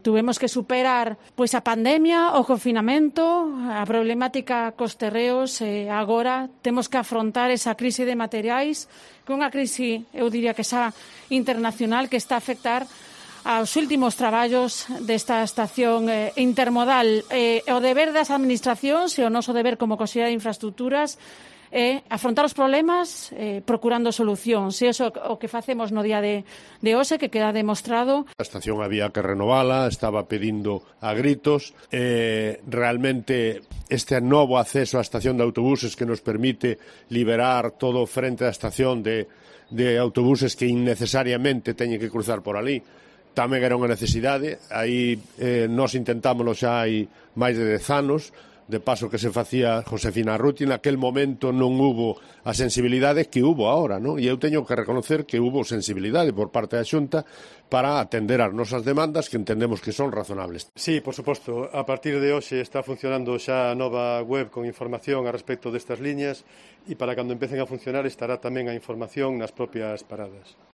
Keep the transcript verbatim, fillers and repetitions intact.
tuvemos que superar pois a pandemia, o confinamento, a problemática cos terreos, e agora temos que afrontar esa crise de materiais, que é unha crise, eu diría que xa internacional, que está a afectar aos últimos traballos desta estación eh, intermodal. Eh, o deber das administracións e o noso deber como Consellería de Infraestructuras é afrontar os problemas eh, procurando solucións. E iso o que facemos no día de, de hoxe, que queda demostrado. A estación había que renovala, estaba pedindo a gritos. Eh, realmente este novo acceso á estación de autobuses que nos permite liberar todo o frente da estación de, de autobuses que innecesariamente teñen que cruzar por ali, tamén era unha necesidade. Aí eh, nós intentámoslo xa hai máis de dez anos, de paso que se facía Josefina Arruti. Naquel momento non hubo a sensibilidade que hubo ahora, non? E eu teño que reconocer que hubo sensibilidade por parte da Xunta para atender as nosas demandas, que entendemos que son razonables. Sí, por suposto, a partir de hoxe está funcionando xa a nova web con información a respecto destas liñas, e para cando empecen a funcionar estará tamén a información nas propias paradas.